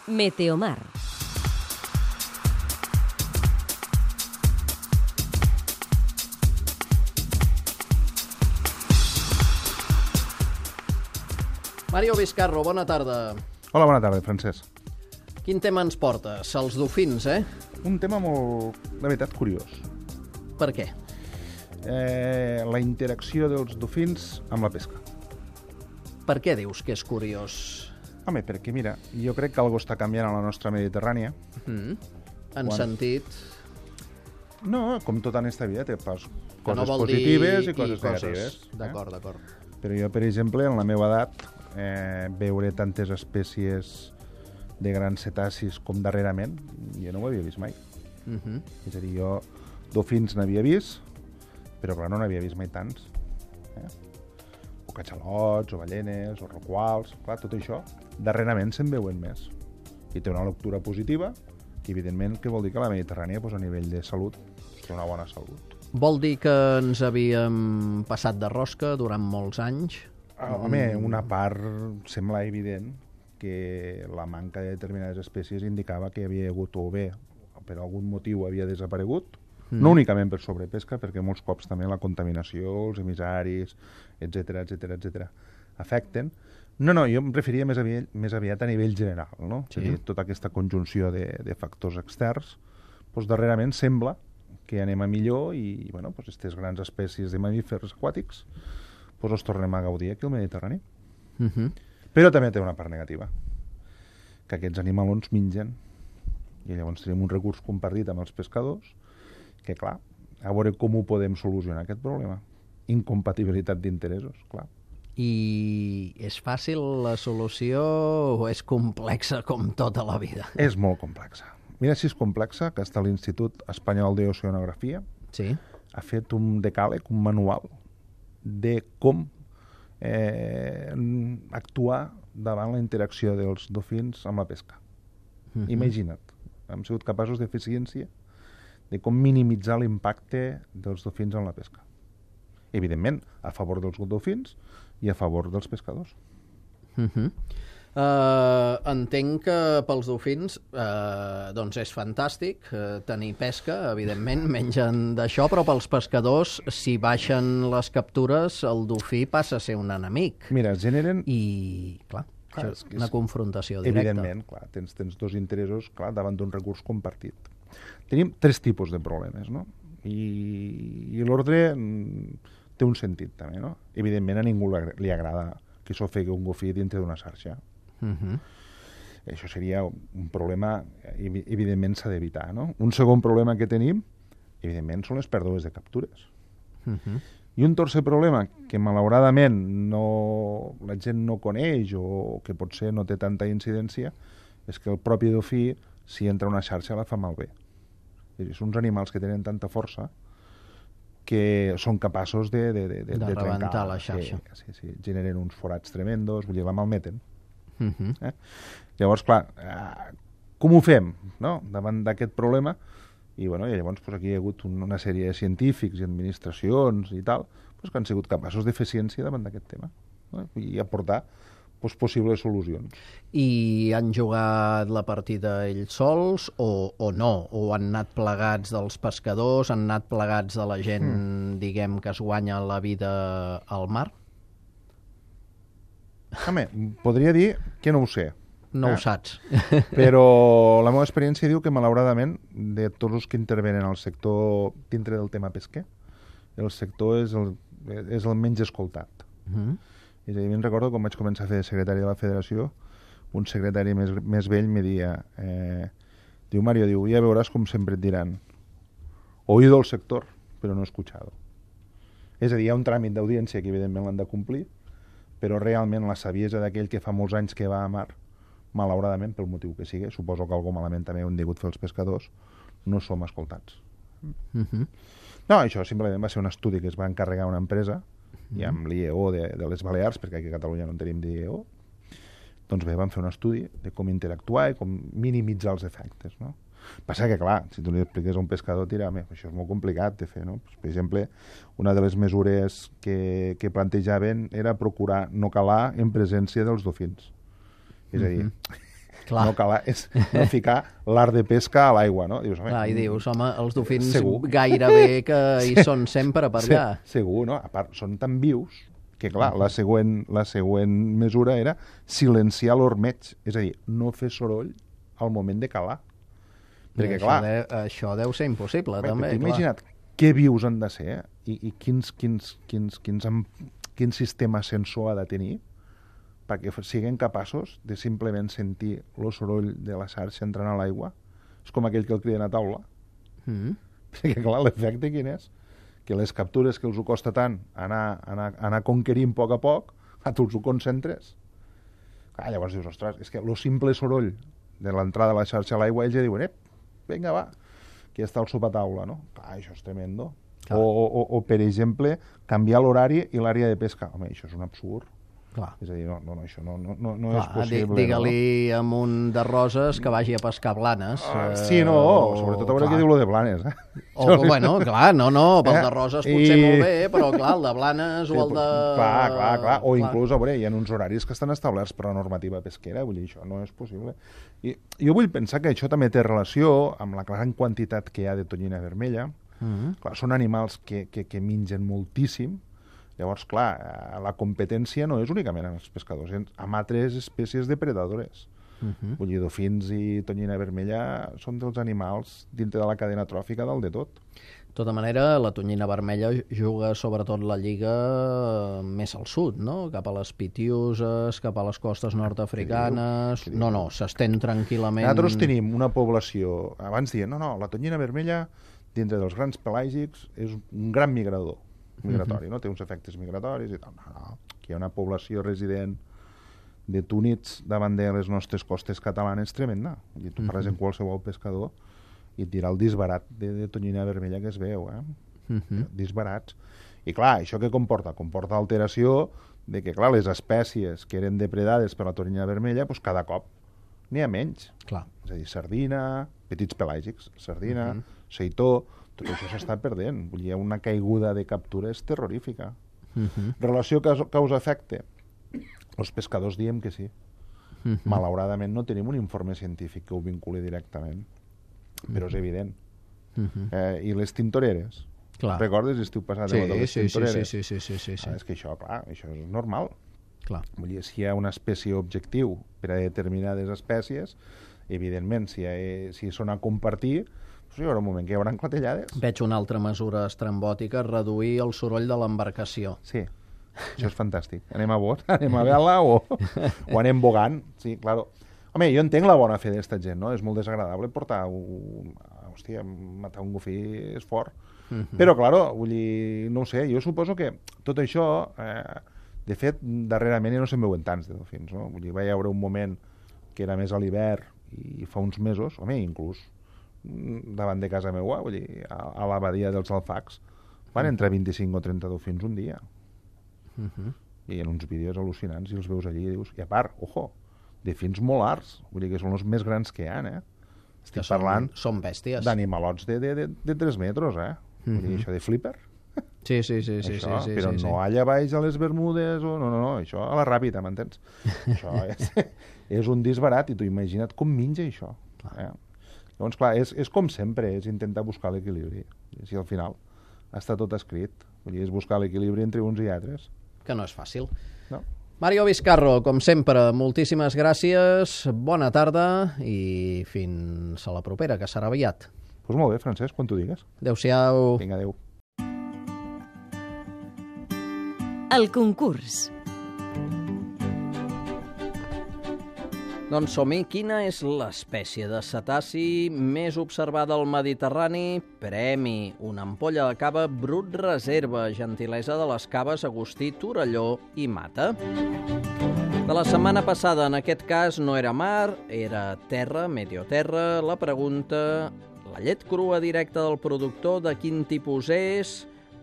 Meteomar. Mario Vizcarro, bona tarda. Hola, bona tarda, Francesc. Quin tema ens portes? Els dofins, eh? Un tema molt, de veritat, curiós. Per què? La interacció dels dofins amb la pesca. Per què dius que és curiós? Home, perquè, mira, jo crec que algo està canviant a la nostra Mediterrània. En sentit... No, com tot en esta vida, té coses no vol positives dir i coses negatives. D'acord. Però jo, per exemple, en la meva edat, veure tantes espècies de grans cetacis com darrerament, jo no ho havia vist mai. És a dir, jo dofins n'havia vist, però clar, no n'havia vist mai tants. O catxalots, o ballenes, o roquals, clar, tot això, darrerament se'n veuen més. I té una lectura positiva, que evidentment que vol dir que la Mediterrània, doncs, a nivell de salut, té una bona salut. Vol dir que ens havíem passat de rosca durant molts anys? Home, una part sembla evident que la manca de determinades espècies indicava que havia hagut, o bé, per algun motiu havia desaparegut, no únicament per sobrepesca, perquè molts cops també la contaminació, els emissaris, etc afecten. No, jo em referia més aviat a nivell general, no? Sí. És a dir, tota aquesta conjunció de factors externs, doncs darrerament sembla que anem a millor i, bueno, doncs aquestes grans espècies de mamífers aquàtics doncs els tornem a gaudir aquí al Mediterrani. Però també té una part negativa, que aquests animalons mengen, i llavors tenim un recurs compartit amb els pescadors, que clar, a veure com ho podem solucionar aquest problema. Incompatibilitat d'interessos, clar. I és fàcil la solució o és complexa com tota la vida? És molt complexa. Mira si és complexa, que està l'Institut Espanyol d'Oceanografia, sí, ha fet un decàleg, un manual, de com actuar davant la interacció dels dofins amb la pesca. Imagina't, hem sigut capaços de fer ciència de com minimitzar l'impacte dels dofins en la pesca. Evidentment, a favor dels dofins i a favor dels pescadors. Entenc que pels dofins doncs és fantàstic tenir pesca, evidentment, mengen d'això, però pels pescadors, si baixen les captures, el dofí passa a ser un enemic. Mira, es generen... I, clar, és una confrontació directa. Evidentment, clar, tens dos interessos clar, davant d'un recurs compartit. Tenim 3 tipus de problemes, no? I l'ordre té un sentit, també, no? Evidentment, a ningú li agrada que s'ofegui un dofí dintre d'una xarxa. Això seria un problema, evidentment s'ha d'evitar, no? Un segon problema que tenim, evidentment, són les pèrdues de captures. I un tercer problema, que malauradament la gent no coneix o que potser no té tanta incidència, és que el propi dofí, si entra una xarxa, la fa malbé. Són uns animals que tenen tanta força que són capaços de rebentar la xarxa. Sí, generen uns forats tremendos, vull dir, la malmeten. Llavors, clar, com ho fem, no?, davant d'aquest problema? I llavors aquí hi ha hagut una sèrie de científics i administracions i tal que han sigut capaços de fer ciència davant d'aquest tema, no?, i aportar possibles solucions. I han jugat la partida ells sols o no? O han anat plegats dels pescadors, han anat plegats de la gent, diguem, que es guanya la vida al mar? Home, podria dir que no ho sé. No ho saps. Però la meva experiència diu que, malauradament, de tots els que intervenen al sector dintre del tema pesquer, el sector és el menys escoltat. És a dir, me'n recordo quan vaig començar a fer secretari de la federació, un secretari més vell me dia, diu, Mario, ja veuràs com sempre et diran oído el sector, però no escuchado. És a dir, hi ha un tràmit d'audiència que evidentment l'han de complir, però realment la saviesa d'aquell que fa molts anys que va a mar, malauradament, pel motiu que sigui, suposo que algú malament també ho han degut fer els pescadors, no som escoltats. No, això simplement va ser un estudi que es va encarregar una empresa i amb l'IEO de les Balears, perquè aquí a Catalunya no en tenim d'IEO, doncs bé, van fer un estudi de com interactuar i com minimitzar els efectes, no? Passa que, clar, si tu li expliques a un pescador, això és molt complicat de fer, no? Per exemple, una de les mesures que plantejaven era procurar no calar en presència dels dofins. És a dir, Clar. No calar, és no ficar l'art de pesca a l'aigua, no? Dius, Clar, i dius, home, els dofins segur. gairebé que hi són sempre per allà. Segur, no? A part, són tan vius que, clar, la següent mesura era silenciar l'ormeig, és a dir, no fer soroll al moment de calar. Perquè, I clar... això deu ser impossible, també. Imagina't què vius han de ser i quin sistema sensor ha de tenir perquè siguin capaços de simplement sentir el soroll de la xarxa entrant a l'aigua. És com aquell que el criden a taula. Perquè, clar, l'efecte quin és? Que les captures que els ho costa tant anar conquerint a poc, tu els ho concentres. Llavors dius, ostres, és que el simple soroll de l'entrada de la xarxa a l'aigua, ells ja diuen, vinga, va, aquí està el sopataula, no? Clar, això és tremendo. O, per exemple, canviar l'horari i l'àrea de pesca. Home, això és un absurd. Clar. És a dir, això no és possible. Digue-li a un de Roses que vagi a pescar Blanes. Sí, no, sobretot a veure què diu lo de Blanes. Bueno, clar, pel de Roses potser molt bé, però clar, el de Blanes o el de... Clar. O inclús, a veure, hi ha uns horaris que estan establerts per la normativa pesquera, vull dir, això no és possible. I jo vull pensar que això també té relació amb la gran quantitat que hi ha de tonyina vermella. Clar, són animals que mengen moltíssim. Llavors, clar, la competència no és únicament amb els pescadors, amb altres espècies depredadores. Vull dir, dofins i tonyina vermella són dels animals dintre de la cadena tròfica dalt de tot. De tota manera, la tonyina vermella juga sobretot la lliga més al sud, no? Cap a les Pitiuses, cap a les costes nord-africanes... No, s'estén tranquil·lament... Nosaltres tenim una població... Abans dient, no, la tonyina vermella, dintre dels grans pelàgics, és un gran migratori, no? Té uns efectes migratoris i tal. No. Aquí hi ha una població resident de túnids davant de les nostres costes catalanes tremenda. I tu parles amb qualsevol pescador i et dirà el disbarat de tonyina vermella que es veu, disbarats. I clar, això què comporta? Comporta alteració de que, clar, les espècies que eren depredades per la tonyina vermella, doncs cada cop n'hi ha menys. Clar. És a dir, sardina, petits pelàgics, sardina, seitó, tot això s'està perdent. Vull dir, hi ha una caiguda de captures terrorífica. Relació causa-efecte? Els pescadors diem que sí. Malauradament no tenim un informe científic que ho vinculi directament, però és evident. I les tintoreres? Clar. Recordes l'estiu passat de les tintoreres? Sí. És que això, clar, això és normal. Clar. Vull dir, si hi ha una espècie objectiu per a determinades espècies, evidentment, si són a compartir, hi haurà un moment que hi haurà clatellades. Veig una altra mesura estrambòtica, reduir el soroll de l'embarcació. Sí, això és fantàstic. Anem a bot, anem a vela o anem bogant. Sí, claro. Home, jo entenc la bona fe d'esta gent, no? És molt desagradable portar hòstia, matar un gofí és fort. Però, claro, vull dir, no ho sé, jo suposo que tot això, de fet, darrerament ja no se'n veuen tants de dofins, no? Vull dir, va hi haver un moment que era més a l'hivern i fa uns mesos, home, inclús davant de casa meua, vull dir, a la badia dels Alfacs, van entrar 25 o 30 dofins un dia. I hi ha uns vídeos al·lucinants i els veus allí i dius, i a part, ojo, de fins molt arts, vull dir que són els més grans que hi ha, Estic parlant són bèsties. D'animalots de 3 metres, Vull dir, això de flipper. Sí. Però no allà baix a les Bermudes, no, això a la ràpida, m'entens? Això és un disbarat i tu imagina't com menja això. Llavors, clar, és com sempre, és intentar buscar l'equilibri. Si al final està tot escrit, vull dir, és buscar l'equilibri entre uns i altres. Que no és fàcil. No. Mario Vizcarro, com sempre, moltíssimes gràcies, bona tarda i fins a la propera, que serà aviat. Doncs molt bé, Francesc, quan tu digues. Adéu-siau. Vinga, adéu. El concurs. Doncs som-hi. Quina és l'espècie de cetaci més observada al Mediterrani? Premi. Una ampolla de cava Brut Reserva, gentilesa de les caves Agustí, Torelló i Mata. De la setmana passada, en aquest cas, no era mar, era terra, meteoterra. La pregunta, la llet crua directa del productor, de quin tipus és?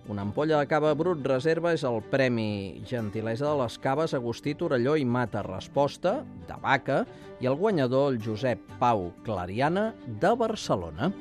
Una ampolla de cava Brut Reserva és el premi gentilesa de les caves Agustí, Torelló i Mata. Resposta, de vaca, i el guanyador, el Josep Pau Clariana, de Barcelona.